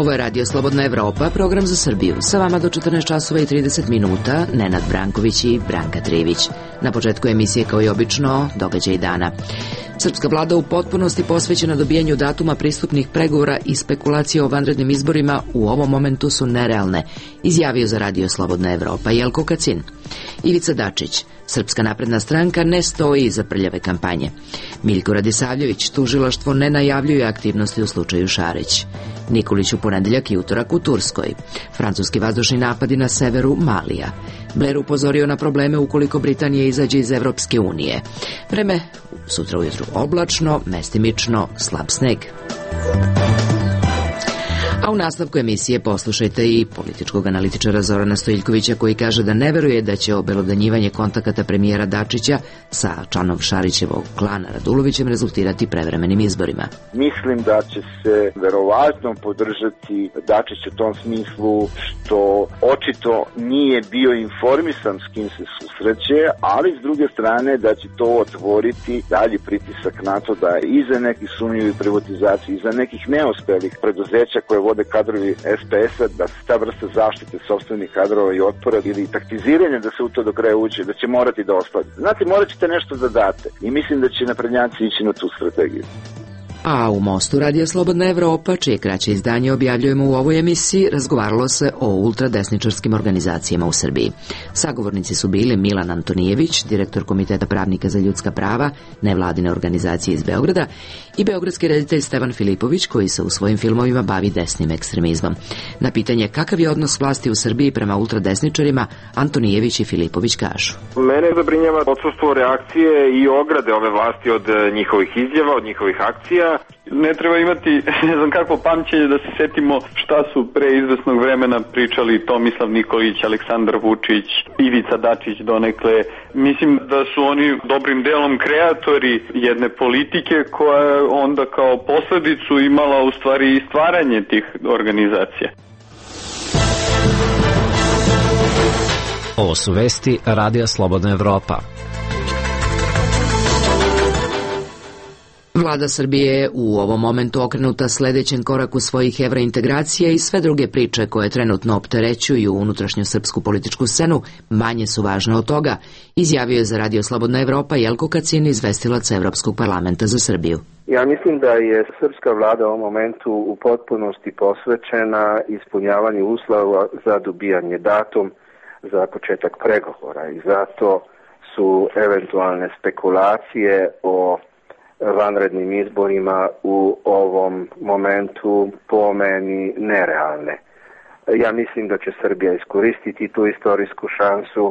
Ovo je Radio Slobodna Evropa, program za Srbiju. Sa vama do 14 časova i 30 minuta, Nenad Branković i Branka Trivić. Na početku emisije, kao i obično, događaj dana. Srpska vlada u potpunosti posvećena dobijanju datuma pristupnih pregovora i spekulacije o vanrednim izborima u ovom momentu su nerealne, izjavio za Radio Slobodna Evropa Jelko Kacin. Ivica Dačić, Srpska napredna stranka ne stoji iza prljave kampanje. Miljko Radisavljević, tužilaštvo ne najavljuje aktivnosti u slučaju Šarić. Nikolić u ponedeljak i utorak u Turskoj. Francuski vazdušni napadi na severu Malija. Blair upozorio na probleme ukoliko Britanija izađe iz Evropske unije. Vreme sutra ujutru oblačno, mestimično, slab sneg. A u nastavku emisije poslušajte i političkog analitičara Zorana Stojiljkovića koji kaže da ne veruje da će obelodanjivanje kontakata premijera Dačića sa članom Šarićevog klana Radulovićem rezultirati prevremenim izborima. Mislim da će se verovatno podržati Dačić u tom smislu što očito nije bio informisan s kim se susreće, ali s druge strane da će to otvoriti dalji pritisak na to da iza nekih sumnjivih privatizacija, iza nekih neuspelih preduzeća koje vode kadrovi SPS-a, da se ta vrsta zaštite sopstvenih kadrova i otpora ili taktiziranja da se u to do kraja uđe, da će morati da ostane. Znate, morat ćete nešto da date i mislim da će naprednjaci ići na tu strategiju. A u Mostu Radio Slobodna Evropa, čije kraće izdanje objavljujemo u ovoj emisiji, razgovaralo se o ultradesničarskim organizacijama u Srbiji. Sagovornici su bili Milan Antonijević, direktor Komiteta pravnika za ljudska prava, nevladine organizacije iz Beograda, i beogradski reditelj Stevan Filipović, koji se u svojim filmovima bavi desnim ekstremizmom. Na pitanje kakav je odnos vlasti u Srbiji prema ultradesničarima, Antonijević i Filipović kažu. Mene zabrinjava odsustvo reakcije i ograde ove vlasti od njihovih izjava, od njihovih akcija. Ne treba imati ne znam kakvo pamćenje da se setimo šta su pre izvesnog vremena pričali Tomislav Nikolić, Aleksandar Vučić, Ivica Dačić donekle. Mislim da su oni dobrim delom kreatori jedne politike koja je onda kao posledicu imala u stvari i stvaranje tih organizacija. Ovo su vesti Radija Slobodna Evropa. Vlada Srbije je u ovom momentu okrenuta sledećem koraku svojih evrointegracija i sve druge priče koje trenutno opterećuju unutrašnju srpsku političku scenu manje su važne od toga, izjavio je za Radio Slobodna Evropa Jelko Kacin, izvestilac Evropskog parlamenta za Srbiju. Ja mislim da je srpska vlada u ovom momentu u potpunosti posvećena ispunjavanju uslova za dobijanje datum za početak pregovora i zato su eventualne spekulacije o vanrednim izborima u ovom momentu po meni nerealne. Ja mislim da će Srbija iskoristiti tu istorijsku šansu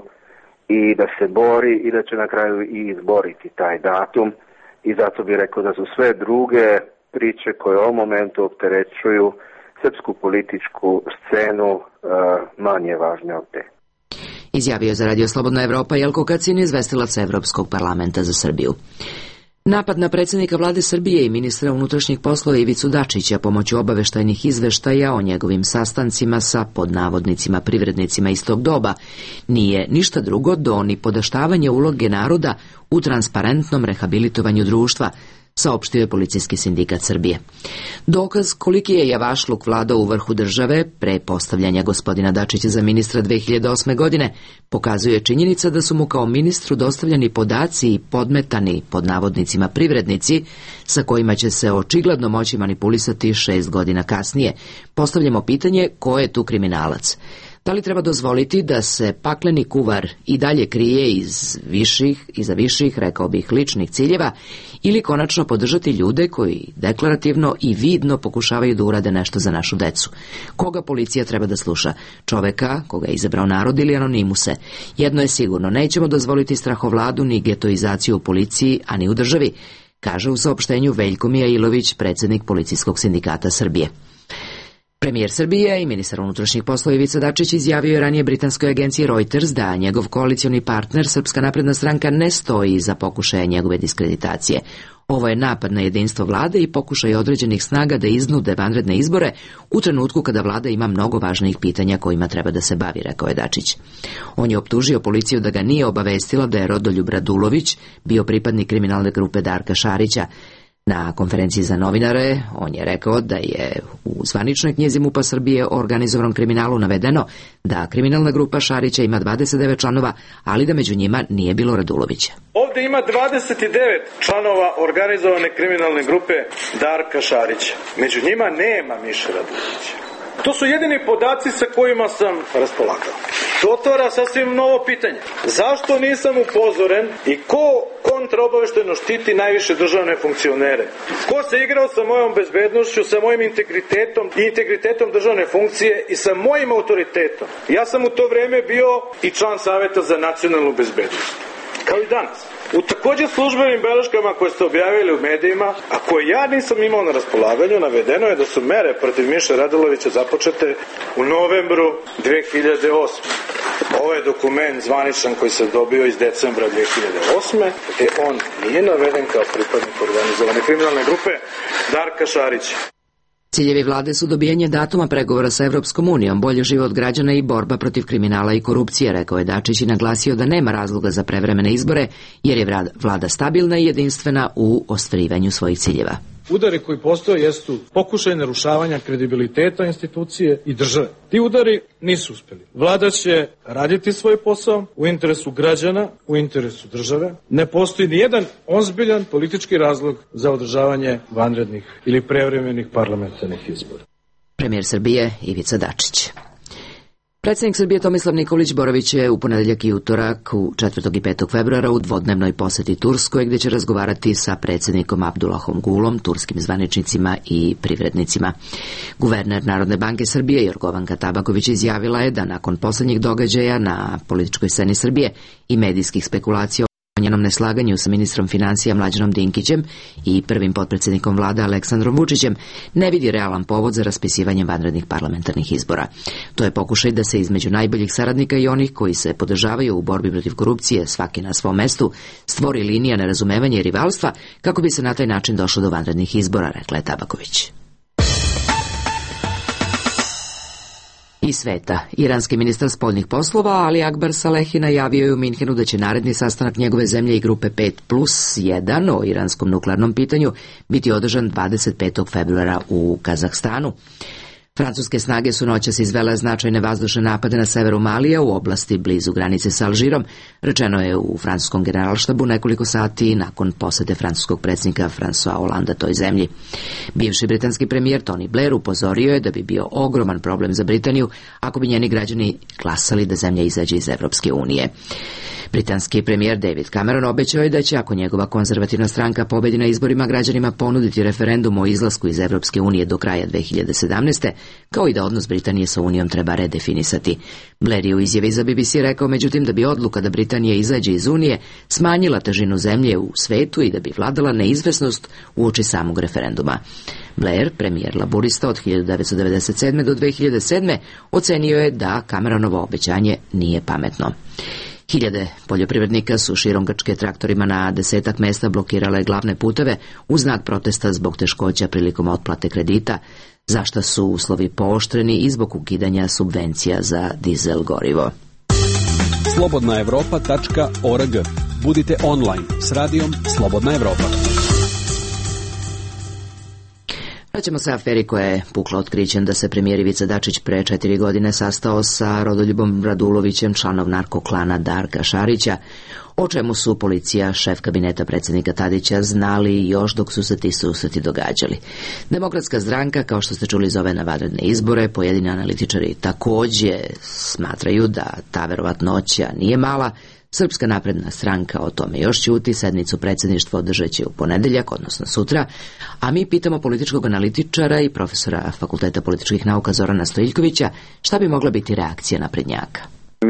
i da se bori i da će na kraju i izboriti taj datum i zato bih rekao da su sve druge priče koje u ovom momentu opterećuju srpsku političku scenu manje važne od te. Izjavio za Radio Slobodna Evropa Jelko Kacin, izvestilac Evropskog parlamenta za Srbiju. Napad na predsjednika vlade Srbije i ministra unutrašnjih poslova Ivicu Dačića pomoću obaveštajnih izveštaja o njegovim sastancima sa pod navodnicima privrednicima iz tog doba nije ništa drugo do nipodaštavanja uloge naroda u transparentnom rehabilitovanju društva, saopštio je Policijski sindikat Srbije. Dokaz koliki je javašluk vladao u vrhu države pre postavljanja gospodina Dačića za ministra 2008. godine pokazuje činjenica da su mu kao ministru dostavljani podaci i podmetani pod navodnicima privrednici sa kojima će se očigledno moći manipulisati 6 godina kasnije. Postavljamo pitanje ko je tu kriminalac. Da li treba dozvoliti da se pakleni kuvar i dalje krije iza viših, rekao bih, ličnih ciljeva ili konačno podržati ljude koji deklarativno i vidno pokušavaju da urade nešto za našu decu? Koga policija treba da sluša? Čoveka koga je izabrao narod ili anonimuse? Jedno je sigurno, nećemo dozvoliti strahovladu ni getoizaciju u policiji, a ni u državi, kaže u saopštenju Veljko Mijailović, predsjednik Policijskog sindikata Srbije. Premijer Srbije i ministar unutrašnjih poslova Ivica Dačić izjavio je ranije britanskoj agenciji Reuters da njegov koalicioni partner Srpska napredna stranka ne stoji iza pokušaja njegove diskreditacije. Ovo je napad na jedinstvo vlade i pokušaj određenih snaga da iznude vanredne izbore u trenutku kada vlada ima mnogo važnijih pitanja kojima treba da se bavi, rekao je Dačić. On je optužio policiju da ga nije obavestila da je Rodoljub Radulović bio pripadnik kriminalne grupe Darka Šarića. Na konferenciji za novinare on je rekao da je u zvaničnoj knjizi MUP-a Srbije o organizovanom kriminalu navedeno da kriminalna grupa Šarića ima 29 članova, ali da među njima nije bilo Radulovića. Ovde ima 29 članova organizovane kriminalne grupe Darka Šarića. Među njima nema Miše Radulovića. To su jedini podaci sa kojima sam raspolagao. To otvara sasvim novo pitanje. Zašto nisam upozoren i ko kontraobaveštajno štiti najviše državne funkcionere? Ko se igrao sa mojom bezbednošću, sa mojim integritetom i integritetom državne funkcije i sa mojim autoritetom? Ja sam u to vreme bio i član Saveta za nacionalnu bezbednost. Kao i danas. U također službenim beleškama koje ste objavili u medijima, a koje ja nisam imao na raspolaganju, navedeno je da su mere protiv Miše Radulovića započete u novembru 2008. Ovo je dokument zvaničan koji sam dobio iz decembra 2008. gde on nije naveden kao pripadnik organizovane kriminalne grupe Darka Šarića. Ciljevi vlade su dobijanje datuma pregovora sa Evropskom unijom, bolji život građana i borba protiv kriminala i korupcije, rekao je Dačić i naglasio da nema razloga za prevremene izbore, jer je vlada stabilna i jedinstvena u ostvarivanju svojih ciljeva. Udari koji postoje jesu pokušaj narušavanja kredibiliteta institucije i države. Ti udari nisu uspeli. Vlada će raditi svoj posao u interesu građana, u interesu države. Ne postoji ni jedan ozbiljan politički razlog za održavanje vanrednih ili prevremenih parlamentarnih izbora. Premijer Srbije Ivica Dačić. Predsjednik Srbije Tomislav Nikolić boravit je u ponedeljak i utorak u 4. i 5. februara u dvodnevnoj poseti Turskoj, gdje će razgovarati sa predsjednikom Abdullahom Gulom, turskim zvaničnicima i privrednicima. Guverner Narodne banke Srbije Jorgovanka Tabaković izjavila je da nakon posljednjih događaja na političkoj sceni Srbije i medijskih spekulacija o njenom neslaganju sa ministrom financija Mlađanom Dinkićem i prvim potpredsjednikom vlade Aleksandrom Vučićem ne vidi realan povod za raspisivanje vanrednih parlamentarnih izbora. To je pokušaj da se između najboljih saradnika i onih koji se podržavaju u borbi protiv korupcije, svaki na svom mestu, stvori linija nerazumevanja i rivalstva kako bi se na taj način došlo do vanrednih izbora, rekla je Tabaković. Iz sveta. Iranski ministar spoljnih poslova Ali Akbar Salehi najavio je u Minhenu da će naredni sastanak njegove zemlje i grupe 5+1 o iranskom nuklearnom pitanju biti održan 25. februara u Kazahstanu. Francuske snage su noćas izvele značajne vazdušne napade na severu Malija u oblasti blizu granice sa Alžirom, rečeno je u francuskom generalštabu nekoliko sati nakon posete francuskog predsjednika François Hollanda toj zemlji. Bivši britanski premijer Tony Blair upozorio je da bi bio ogroman problem za Britaniju ako bi njeni građani glasali da zemlja izađe iz Evropske unije. Britanski premijer David Cameron obećao je da će, ako njegova konzervativna stranka pobedi na izborima, građanima ponuditi referendum o izlasku iz Evropske unije do kraja 2017. kao i da odnos Britanije sa Unijom treba redefinisati. Blair je u izjavi za BBC rekao, međutim, da bi odluka da Britanija izađe iz Unije smanjila težinu zemlje u svetu i da bi vladala neizvesnost uoči samog referenduma. Blair, premijer laburista od 1997. do 2007. ocenio je da Cameronovo obećanje nije pametno. Hiljade poljoprivrednika su širom Grčke traktorima na 10 mesta blokirale glavne puteve u znak protesta zbog teškoća prilikom otplate kredita, za što su uslovi pooštreni i zbog ukidanja subvencija za dizel gorivo. slobodnaevropa.org. Budite online s radijom Slobodna Evropa. Vraćamo se aferi koja je pukla otkrićem da se premijer Ivica Dačić pre 4 godine sastao sa Rodoljubom Radulovićem, članom narkoklana Darka Šarića, o čemu su policija, šef kabineta predsjednika Tadića znali još dok su se ti susreti događali. Demokratska stranka, kao što ste čuli, zove na vanredne izbore. Pojedini analitičari također smatraju da ta verovatnoća nije mala. Srpska napredna stranka o tome još ćuti, sednicu predsjedništva održat će u ponedeljak, odnosno sutra, a mi pitamo političkog analitičara i profesora Fakulteta političkih nauka Zorana Stojiljkovića šta bi mogla biti reakcija naprednjaka.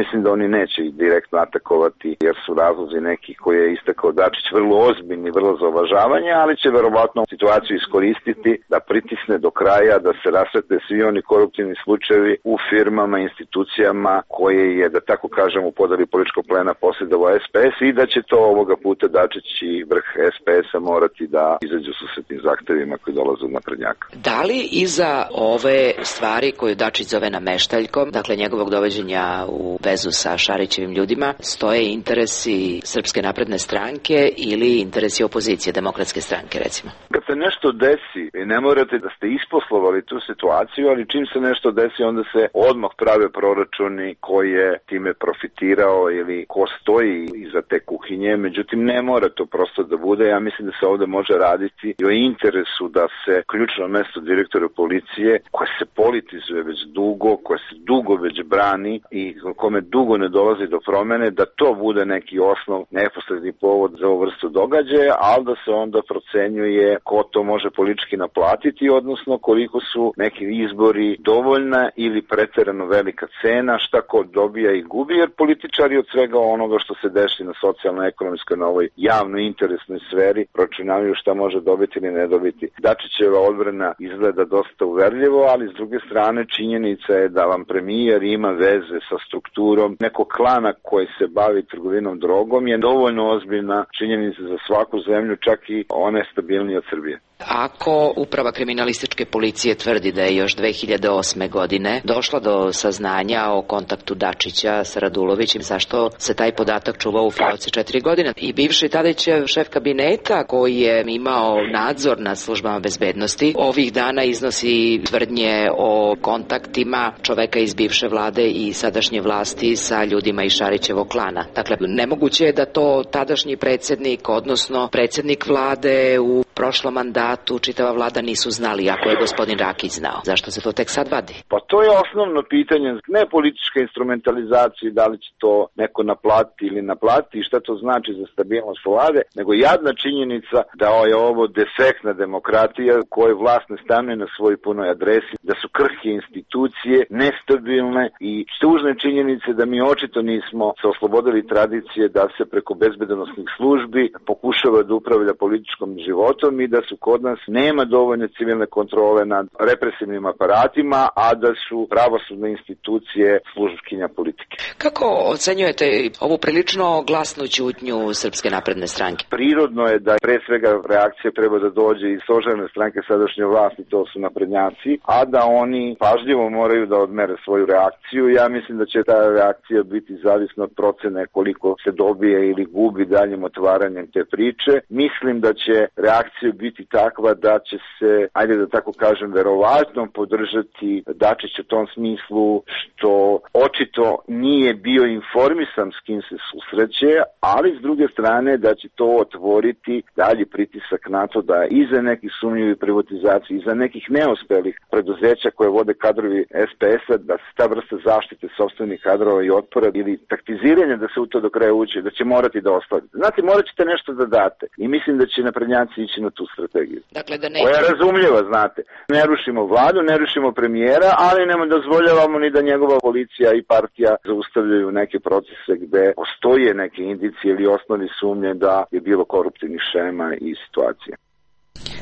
Mislim da oni neće direktno atakovati jer su razlozi neki koje je istakao Dačić vrlo ozbiljni, vrlo za uvažavanje, ali će verovatno situaciju iskoristiti da pritisne do kraja, da se rasvete svi oni koruptivni slučajevi u firmama, institucijama koje je, da tako kažem, u podeli političkog plena posjedovao SPS i da će to ovoga puta Dačić i vrh SPS-a morati da izađu sa tim zahtevima koji dolaze od naprednjaka. Da li iza ove stvari koju Dačić zove nameštaljkom, dakle njegovog dovođenja u vezu sa Šarićevim ljudima, stoje interesi Srpske napredne stranke ili interesi opozicije, Demokratske stranke, recimo? Kad se se nešto desi, ne morate da ste isposlovali tu situaciju, ali čim se nešto desi, onda se odmah prave proračuni ko je time profitirao ili ko stoji iza te kuhinje. Međutim, ne mora to prosto da bude. Ja mislim da se ovde može raditi i o interesu da se ključno mesto direktora policije, koje se politizuje već dugo, koje se dugo već brani i kome dugo ne dolazi do promene, da to bude neki osnov, neposredni povod za ovu vrstu događaja, ali da se onda procenjuje ko to može politički naplatiti, odnosno koliko su neki izbori dovoljna ili preterano velika cena, šta ko dobija i gubi, jer političari od svega onoga što se desi na socijalno-ekonomskoj, na ovoj javno-interesnoj sferi, pročunavaju šta može dobiti ili ne dobiti. Dačićeva odbrana izgleda dosta uverljivo, ali s druge strane činjenica je da vam premijer ima veze sa strukturom nekog klana koji se bavi trgovinom drogom, je dovoljno ozbiljna činjenica za svaku zemlju, čak i one stabilnije od Srbije. Ako Uprava kriminalističke policije tvrdi da je još 2008. godine došla do saznanja o kontaktu Dačića sa Radulovićem, zašto se taj podatak čuvao u fioci 4 godine? I bivši Tadićev šef kabineta koji je imao nadzor nad službama bezbednosti ovih dana iznosi tvrdnje o kontaktima čoveka iz bivše vlade i sadašnje vlasti sa ljudima iz Šarićevog klana. Dakle, nemoguće je da to tadašnji predsjednik, odnosno predsjednik vlade u prošlom mandatu, čitava vlada nisu znali, ako je gospodin Rakić znao. Zašto se to tek sad vadi? Pa to je osnovno pitanje, ne politička instrumentalizacija, da li će to neko naplatiti ili naplatiti i šta to znači za stabilnost vlade, nego jadna činjenica da je ovo defektna demokratija u kojoj vlast ne stanuje na svojoj punoj adresi, da su krhke institucije nestabilne i tužne činjenice da mi očito nismo se oslobodili tradicije da se preko bezbednosnih službi pokušava da upravlja političkom životom i da su kod nas nema dovoljne civilne kontrole nad represivnim aparatima, a da su pravosudne institucije službkinja politike. Kako ocenjujete ovu prilično glasnu ćutnju Srpske napredne stranke? Prirodno je da pre svega reakcija treba da dođe iz stožerne stranke sadašnje vlasti, to su naprednjaci, a da oni pažljivo moraju da odmere svoju reakciju. Ja mislim da će ta reakcija biti zavisna od procene koliko se dobije ili gubi daljim otvaranjem te priče. Mislim da će reakcija biti takva da će se, ajde da tako kažem, verovatno podržati Dačić u tom smislu što očito nije bio informisan s kim se susreće, ali s druge strane da će to otvoriti dalji pritisak na to da iza nekih sumnjivih privatizacija, iza nekih neuspelih preduzeća koje vode kadrovi SPS-a, da se ta vrsta zaštite sopstvenih kadrova i otpora ili taktiziranja da se u to do kraja uđe, da će morati da ostavite. Znate, morat ćete nešto da date i mislim da će naprednjaci ići na tu strategiju. Dakle, da koja je razumljiva, znate. Ne rušimo vladu, ne rušimo premijera, ali ne dozvoljavamo ni da njegova policija i partija zaustavljaju neke procese gde postoje neke indicije ili osnovni sumnje da je bilo koruptivnih šema i situacija.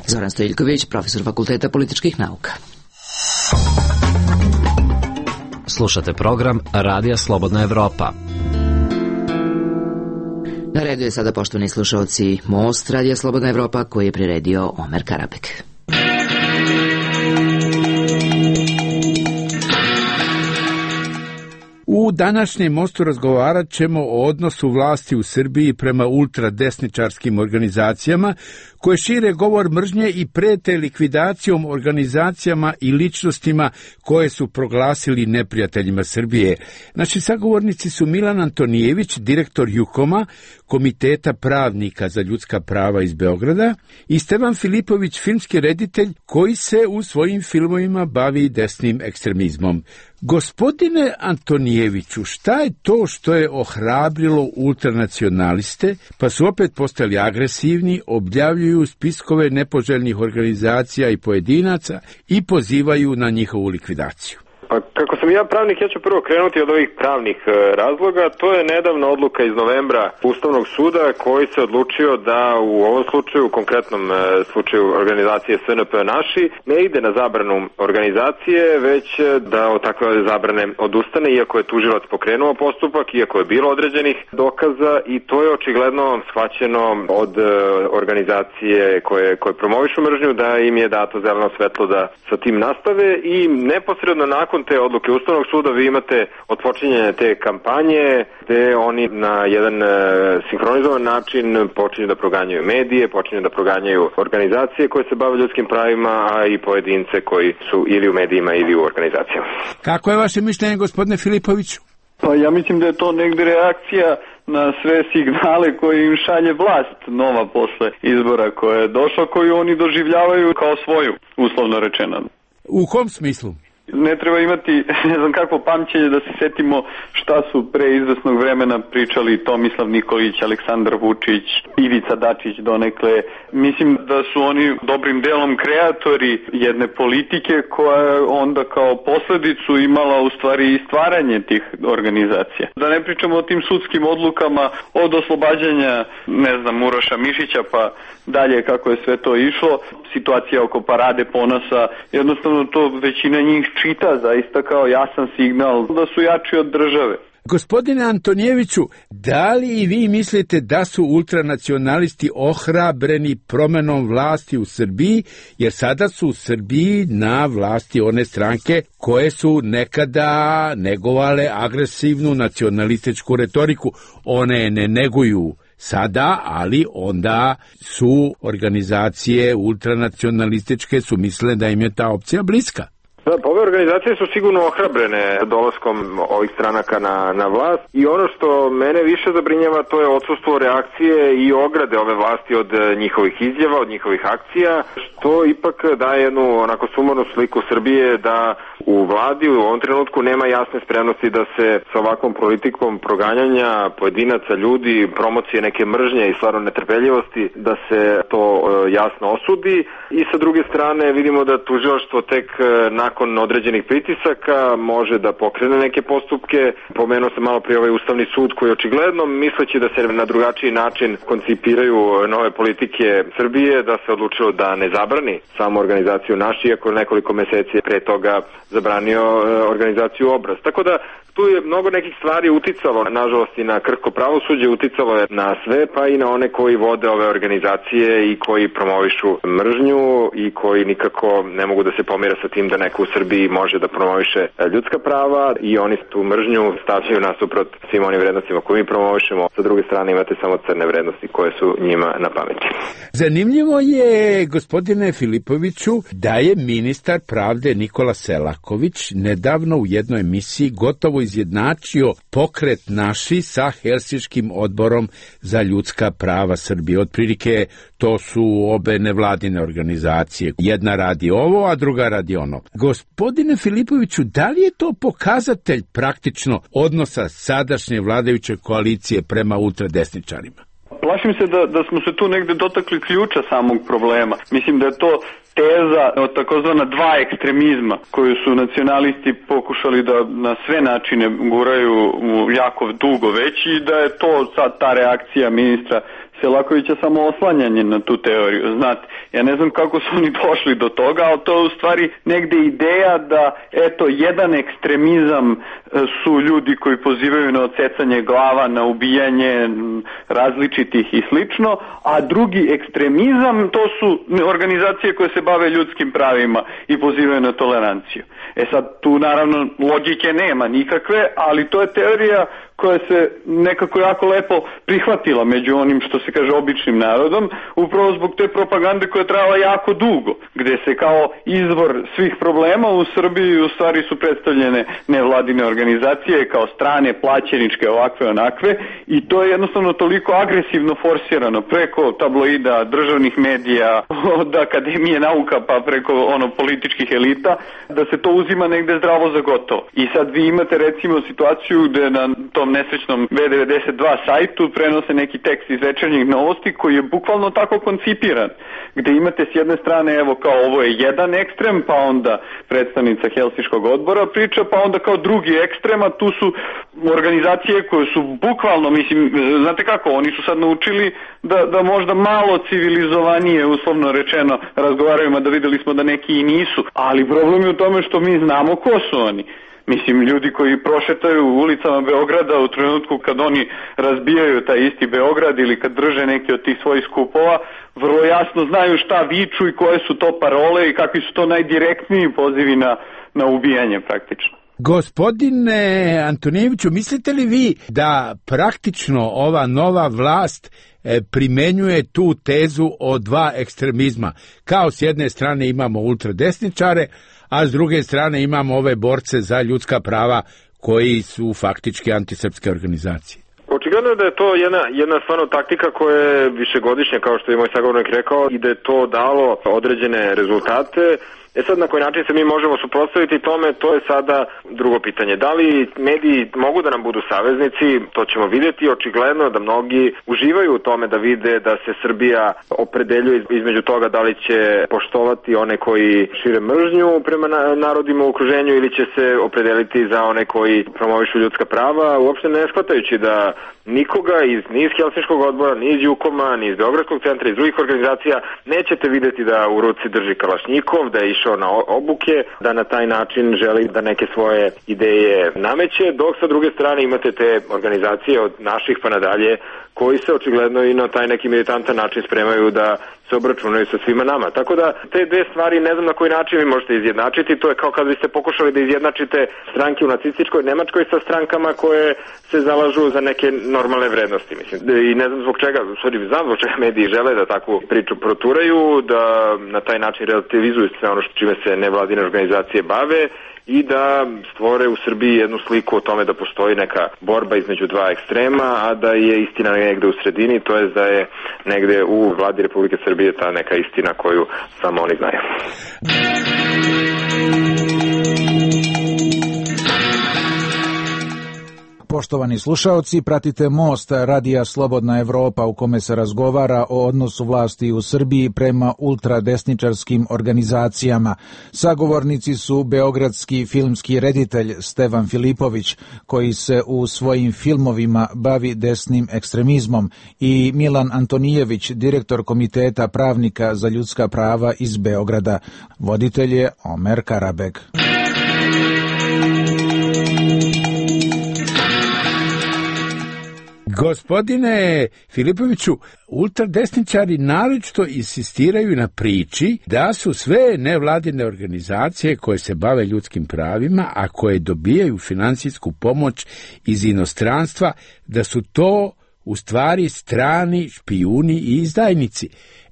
Zoran Stojiljković, profesor Fakulteta političkih nauka. Slušate program Radija Slobodna Evropa. Na redu je sada, poštovani slušalci, Most Radija Slobodna Evropa, koji je priredio Omer Karabek. U današnjem Mostu razgovarat ćemo o odnosu vlasti u Srbiji prema ultradesničarskim organizacijama koje šire govor mržnje i prete likvidacijom organizacijama i ličnostima koje su proglasili neprijateljima Srbije. Naši sagovornici su Milan Antonijević, direktor Jukoma, Komiteta pravnika za ljudska prava iz Beograda, i Stevan Filipović, filmski reditelj koji se u svojim filmovima bavi desnim ekstremizmom. Gospodine Antonijeviću, šta je to što je ohrabrilo ultranacionaliste, pa su opet postali agresivni, objavljuju spiskove nepoželjnih organizacija i pojedinaca i pozivaju na njihovu likvidaciju? Pa kako sam ja pravnik, ja ću prvo krenuti od ovih pravnih razloga. To je nedavna odluka iz novembra Ustavnog suda koji se odlučio da u ovom slučaju, u konkretnom slučaju organizacije SNP Naši, ne ide na zabranu organizacije, već da od takve zabrane odustane, iako je tužilac pokrenuo postupak, iako je bilo određenih dokaza, i to je očigledno shvaćeno od organizacije koje promovišu mržnju da im je dato zeleno svetlo da sa tim nastave, i neposredno nakon nakon te odluke Ustavnog suda vi imate otpočinjanje te kampanje gde oni na jedan sinhronizovan način počinju da proganjaju medije, počinju da proganjaju organizacije koje se bave ljudskim pravima, a i pojedince koji su ili u medijima ili u organizacijama. Kako je vaše mišljenje, gospodine Filipoviću? Pa ja mislim da je to negde reakcija na sve signale koje im šalje vlast nova posle izbora koja je došla, koju oni doživljavaju kao svoju, uslovno rečeno. U kom smislu? Ne treba imati, ne znam kakvo pamćenje da se setimo šta su pre izvesnog vremena pričali Tomislav Nikolić, Aleksandar Vučić, Ivica Dačić donekle. Mislim da su oni dobrim delom kreatori jedne politike koja je onda kao posledicu imala u stvari i stvaranje tih organizacija. Da ne pričamo o tim sudskim odlukama od oslobađanja, ne znam, Uroša Mišića pa dalje kako je sve to išlo. Situacija oko Parade ponosa, jednostavno to većina njih čita zaista kao jasan signal da su jači od države. Gospodine Antonijeviću, da li i vi mislite da su ultranacionalisti ohrabreni promenom vlasti u Srbiji, jer sada su u Srbiji na vlasti one stranke koje su nekada negovale agresivnu nacionalističku retoriku. One ne neguju sada, ali onda su organizacije ultranacionalističke su mislile da im je ta opcija bliska. Da, ove organizacije su sigurno ohrabrene dolaskom ovih stranaka na vlast i ono što mene više zabrinjava to je odsustvo reakcije i ograde ove vlasti od njihovih izjava, od njihovih akcija, što ipak daje jednu onako sumornu sliku Srbije da u vladi u ovom trenutku nema jasne spremnosti da se sa ovakvom politikom proganjanja pojedinaca, ljudi, promocije neke mržnje i stvarno netrpeljivosti, da se to jasno osudi i sa druge strane vidimo da tužilaštvo tek nakon određenih pritisaka može da pokrene neke postupke. Pomenuo sam malo prije ovaj Ustavni sud koji očigledno misleći da se na drugačiji način koncipiraju nove politike Srbije, da se odlučilo da ne zabrani samu organizaciju Naš, iako nekoliko meseci pre toga zabranio organizaciju Obraz. Tako da tu je mnogo nekih stvari uticalo, nažalost i na krhko pravosuđe, uticalo je na sve, pa i na one koji vode ove organizacije i koji promovišu mržnju i koji nikako ne mogu da se pomire sa tim da neko u Srbiji može da promoviše ljudska prava i oni tu mržnju stavljaju nasuprot svim onim vrednostima koje mi promovišemo. Sa druge strane imate samo crne vrednosti koje su njima na pameti. Zanimljivo je, gospodine Filipoviću, da je ministar pravde Nikola Selaković nedavno u jednoj emisiji gotovo izjednačio pokret Naši sa Helsinškim odborom za ljudska prava Srbije. Otprilike to su obe nevladine organizacije. Jedna radi ovo, a druga radi ono. Gospodine Filipoviću, da li je to pokazatelj praktično odnosa sadašnje vladajuće koalicije prema ultradesničarima? Plašim se da smo se tu negde dotakli ključa samog problema. Mislim da je to teza od takozvana dva ekstremizma koju su nacionalisti pokušali da na sve načine guraju jako dugo već i da je to sad ta reakcija ministra Selakovića samo oslanjanje na tu teoriju. Znate, ja ne znam kako su oni došli do toga, ali to je u stvari negde ideja da, eto, jedan ekstremizam su ljudi koji pozivaju na odsecanje glava, na ubijanje različitih i slično, a drugi ekstremizam to su organizacije koje se bave ljudskim pravima i pozivaju na toleranciju. E sad, tu naravno logike nema nikakve, ali to je teorija koja se nekako jako lepo prihvatila među onim što se kaže običnim narodom, upravo zbog te propagande koja je trajala jako dugo, gde se kao izvor svih problema u Srbiji u stvari su predstavljene nevladine organizacije kao strane, plaćeničke, ovakve, onakve, i to je jednostavno toliko agresivno forsirano preko tabloida, državnih medija, od Akademije nauka pa preko političkih elita, da se to uzima negde zdravo za gotovo. I sad vi imate recimo situaciju gde na tom nesrećnom V92 sajtu prenose neki tekst iz Večernjih novosti koji je bukvalno tako koncipiran, gde imate s jedne strane evo kao ovo je jedan ekstrem, pa onda predstavnica Helsinškog odbora priča, pa onda kao drugi ekstrem, a tu su organizacije koje su bukvalno, mislim, znate kako, oni su sad naučili da možda malo civilizovanije, uslovno rečeno, razgovaraju, mada videli smo da neki i nisu, ali problem je u tome što mi znamo ko su oni. Mislim, ljudi koji prošetaju ulicama Beograda u trenutku kad oni razbijaju taj isti Beograd ili kad drže neke od tih svojih skupova, vrlo jasno znaju šta viču i koje su to parole i kakvi su to najdirektniji pozivi na ubijanje praktično. Gospodine Antonijeviću, mislite li vi da praktično ova nova vlast primenjuje tu tezu o dva ekstremizma? Kao s jedne strane imamo ultradesničare, a s druge strane imamo ove borce za ljudska prava koji su faktički antisrpske organizacije. Očigledno je da je to jedna stvarno taktika koja je višegodišnja, kao što je moj sagovornik rekao, i da je to dalo određene rezultate. Sad na koji način se mi možemo suprotstaviti tome, to je sada drugo pitanje. Da li mediji mogu da nam budu saveznici, to ćemo vidjeti. Očigledno da mnogi uživaju u tome da vide da se Srbija opredeljuje između toga da li će poštovati one koji šire mržnju prema narodima u okruženju ili će se opredeliti za one koji promovišu ljudska prava, uopšte ne shvatajući da nikoga ni iz Helsinškog odbora, ni iz Jukoma, ni iz Beogradskog centra, iz drugih organizacija nećete vidjeti da u ruci drži kalašnjikov, da je išao na obuke, da na taj način želi da neke svoje ideje nameće, dok sa druge strane imate te organizacije od naših pa nadalje koji se očigledno i na taj neki militantan način spremaju da se obračunaju sa svima nama. Tako da te dve stvari ne znam na koji način vi možete izjednačiti. To je kao kad biste pokušali da izjednačite stranke u nacističkoj Nemačkoj sa strankama koje se zalažu za neke normalne vrednosti. Mislim. I ne znam zbog čega, znam zbog čega mediji žele da takvu priču proturaju, da na taj način relativizuju sve ono čime se nevladine organizacije bave i da stvore u Srbiji jednu sliku o tome da postoji neka borba između dva ekstrema, a da je istina negde u sredini, to je da je negde u vladi Republike Srbije ta neka istina koju samo oni znaju. Poštovani slušaoci, pratite Most Radija Slobodna Evropa u kome se razgovara o odnosu vlasti u Srbiji prema ultradesničarskim organizacijama. Sagovornici su beogradski filmski reditelj Stevan Filipović, koji se u svojim filmovima bavi desnim ekstremizmom, i Milan Antonijević, direktor Komiteta pravnika za ljudska prava iz Beograda. Voditelj je Omer Karabeg. Gospodine Filipoviću, ultradesničari naročito insistiraju na priči da su sve nevladine organizacije koje se bave ljudskim pravima, a koje dobijaju finansijsku pomoć iz inostranstva, da su to u stvari strani špijuni i izdajnici.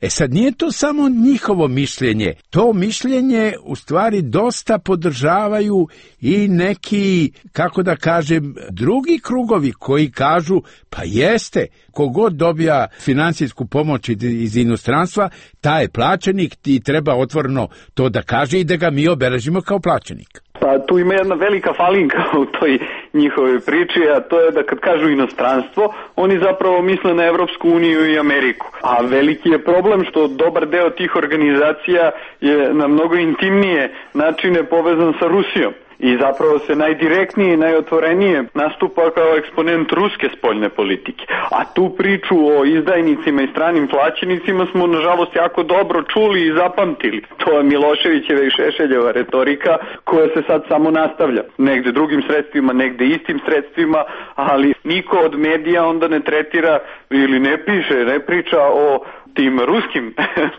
Sad nije to samo njihovo mišljenje, to mišljenje u stvari dosta podržavaju i neki, kako da kažem, drugi krugovi koji kažu pa jeste, kogod dobija finansijsku pomoć iz inostranstva, taj je plaćenik i treba otvoreno to da kaže i da ga mi obeležimo kao plaćenik. Pa tu ima jedna velika falinka u toj njihovoj priči, a to je da kad kažu inostranstvo, oni zapravo misle na Evropsku uniju i Ameriku. A veliki je problem što dobar deo tih organizacija je na mnogo intimnije načine povezan sa Rusijom. I zapravo se najdirektnije i najotvorenije nastupa kao eksponent ruske spoljne politike. A tu priču o izdajnicima i stranim plaćenicima smo nažalost jako dobro čuli i zapamtili. To je Miloševićeva i Šešeljeva retorika koja se sad samo nastavlja. Negde drugim sredstvima, negde istim sredstvima, ali niko od medija onda ne tretira ili ne piše, ne priča o tim ruskim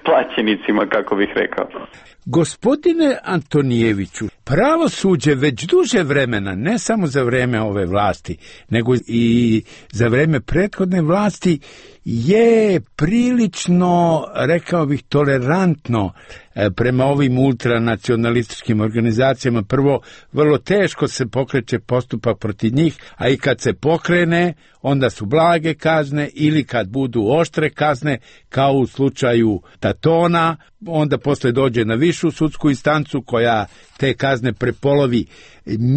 plaćenicima, kako bih rekao. Gospodine Antonijeviću, pravosuđe već duže vremena, ne samo za vreme ove vlasti, nego i za vreme prethodne vlasti, je prilično, rekao bih, tolerantno prema ovim ultranacionalističkim organizacijama. Prvo, vrlo teško se pokreće postupak protiv njih, a i kad se pokrene, onda su blage kazne ili kad budu oštre kazne, kao u slučaju Tatona, onda posle dođe na višu sudsku instancu koja te kazne prepolovi.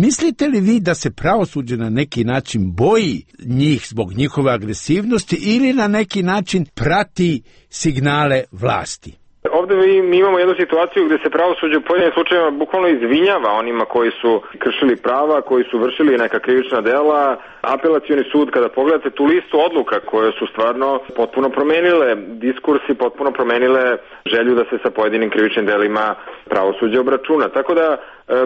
Mislite li vi da se pravosuđe na neki način boji njih zbog njihove agresivnosti ili na neki način prati signale vlasti? Ovde mi imamo jednu situaciju gde se pravosuđe u pojedinim slučajevima bukvalno izvinjava onima koji su kršili prava, koji su vršili neka krivična dela. Apelacioni sud, kada pogledate tu listu odluka koje su stvarno potpuno promenile diskurs i potpuno promenile želju da se sa pojedinim krivičnim delima pravosuđe obračuna. Tako da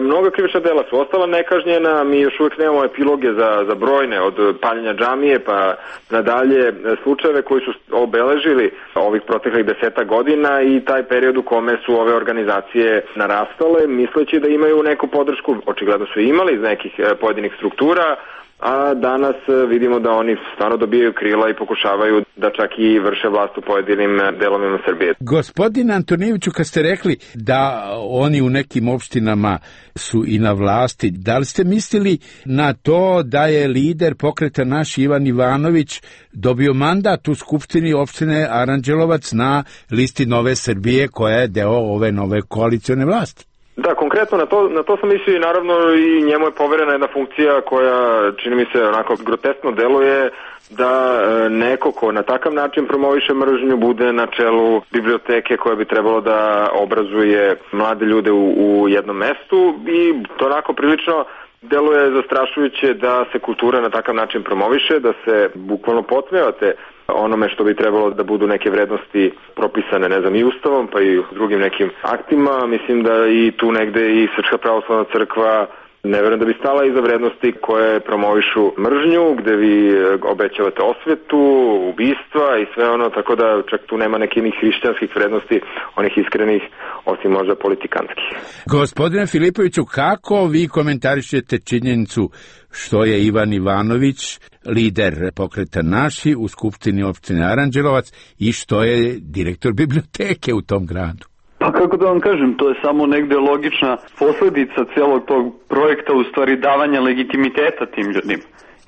mnoga krivična dela su ostala nekažnjena, mi još uvijek nemamo epiloge za brojne, od paljenja džamije pa nadalje slučajeve koji su obeležili ovih proteklih 10 godina i taj period u kome su ove organizacije narastale, misleći da imaju neku podršku, očigledno su imali iz nekih pojedinih struktura, a danas vidimo da oni stvarno dobijaju krila i pokušavaju da čak i vrše vlast u pojedinim delovima Srbije. Gospodine Antonijeviću, kad ste rekli da oni u nekim opštinama su i na vlasti, da li ste mislili na to da je lider pokreta Naš Ivan Ivanović dobio mandat u Skupštini opštine Aranđelovac na listi Nove Srbije koja je deo ove nove koalicione vlasti? Da, konkretno na to sam mislio i naravno i njemu je poverena jedna funkcija koja čini mi se onako groteskno deluje da neko ko na takav način promoviše mržnju bude na čelu biblioteke koja bi trebalo da obrazuje mlade ljude u jednom mestu i to onako prilično deluje zastrašujuće da se kultura na takav način promoviše, da se bukvalno podsmevate onome što bi trebalo da budu neke vrednosti propisane, ne znam, i ustavom, pa i drugim nekim aktima. Mislim da i tu negde i Srpska pravoslavna crkva ne verujem da bi stala iza vrednosti koje promovišu mržnju, gde vi obećavate osvetu, ubistva i sve ono, tako da čak tu nema nekih hrišćanskih vrednosti, onih iskrenih, osim možda politikanskih. Gospodine Filipoviću, kako vi komentarišete činjenicu što je Ivan Ivanović lider pokreta Naši u Skupštini opštine Aranđelovac i što je direktor biblioteke u tom gradu? Pa kako da vam kažem, to je samo negde logična posledica celog tog projekta, u stvari davanja legitimiteta tim ljudima.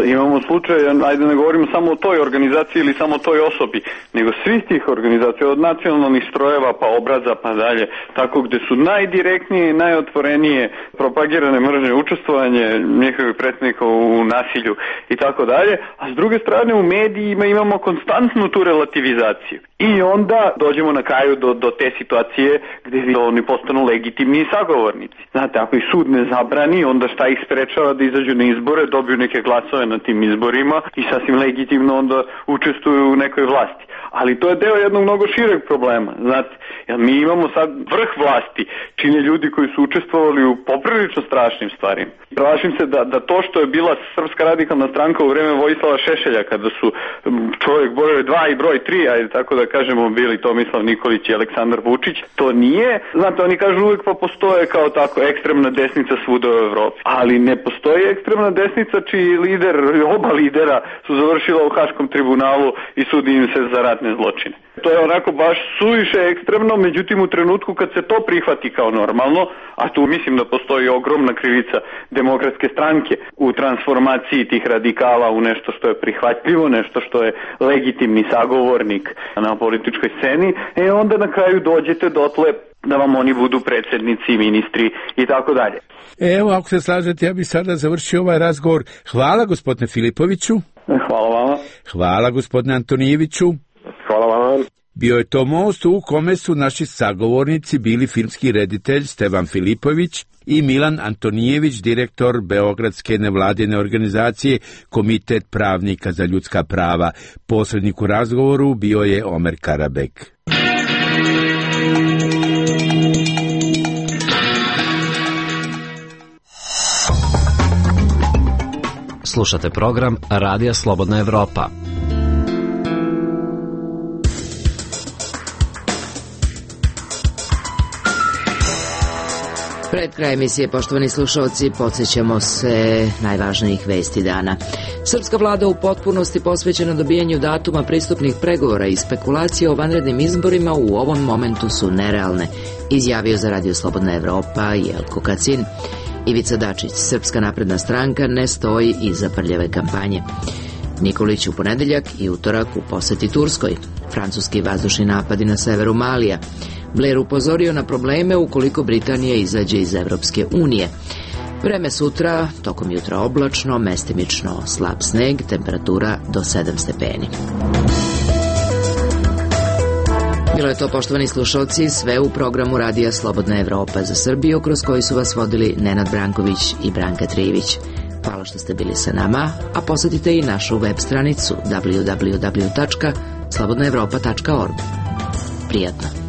Imamo slučaj, ajde ne govorimo samo o toj organizaciji ili samo o toj osobi, nego svih tih organizacija, od nacionalnih strojeva pa obraza pa dalje, tako gde su najdirektnije i najotvorenije propagirane mržnje, učestvovanje njihovih predsjednika u nasilju i tako dalje, a s druge strane u medijima imamo konstantnu tu relativizaciju. I onda dođemo na kraju do te situacije gde oni postanu legitimni sagovornici. Znate, ako ih sud ne zabrani, onda šta ih sprečava da izađu na izbore, dobiju neke glasove na tim izborima i sasvim legitimno onda učestvuju u nekoj vlasti. Ali to je deo jednog mnogo šireg problema, znate, jer mi imamo sad vrh vlasti, čine ljudi koji su učestvovali u poprilično strašnim stvarima. Plašim se da to što je bila Srpska radikalna stranka u vreme Vojislava Šešelja, kada su čovjek broj 2 i broj 3, ajde tako da kažemo, bili Tomislav Nikolić i Aleksandar Vučić, to nije, znate, oni kažu uvijek pa postoje kao tako ekstremna desnica svuda u Evropi, ali ne postoji ekstremna desnica čiji lider, oba lidera su završila u Haškom tribunalu i sudi im se za ratne zločine. To je onako baš suviše ekstremno, međutim u trenutku kad se to prihvati kao normalno, a tu mislim da postoji ogromna krivica Demokratske stranke u transformaciji tih radikala u nešto što je prihvatljivo, nešto što je legitimni sagovornik na političkoj sceni, onda na kraju dođete dotle da vam oni budu predsjednici, ministri i tako dalje. Evo, ako se slažete, ja bih sada završio ovaj razgovor. Hvala gospodine Filipoviću. Hvala vama. Hvala gospodine Antonijeviću. Hvala vama. Bio je to most u kome su naši sagovornici bili filmski reditelj Stevan Filipović i Milan Antonijević, direktor Beogradske nevladine organizacije Komitet pravnika za ljudska prava. Posrednik u razgovoru bio je Omer Karabek. Slušate program Radija Slobodna Evropa. Pred kraj emisije, poštovani slušalci, podsjećamo se najvažnijih vesti dana. Srpska vlada u potpunosti posvećena dobijanju datuma pristupnih pregovora i spekulacije o vanrednim izborima u ovom momentu su nerealne, izjavio za Radio Slobodna Evropa Jelko Kacin. Ivica Dačić, Srpska napredna stranka, ne stoji iza prljave kampanje. Nikolić u ponedeljak i utorak u poseti Turskoj. Francuski vazdušni napadi na severu Malija. Blair upozorio na probleme ukoliko Britanija izađe iz Evropske unije. Vreme sutra, tokom jutra oblačno, mestimično slab sneg, temperatura do 7 stepeni. Bilo je to, poštovani slušalci, sve u programu Radija Slobodna Evropa za Srbiju, kroz koji su vas vodili Nenad Branković i Branka Trivić. Hvala što ste bili sa nama, a posjetite i našu web stranicu www.slobodnaevropa.org. Prijatno.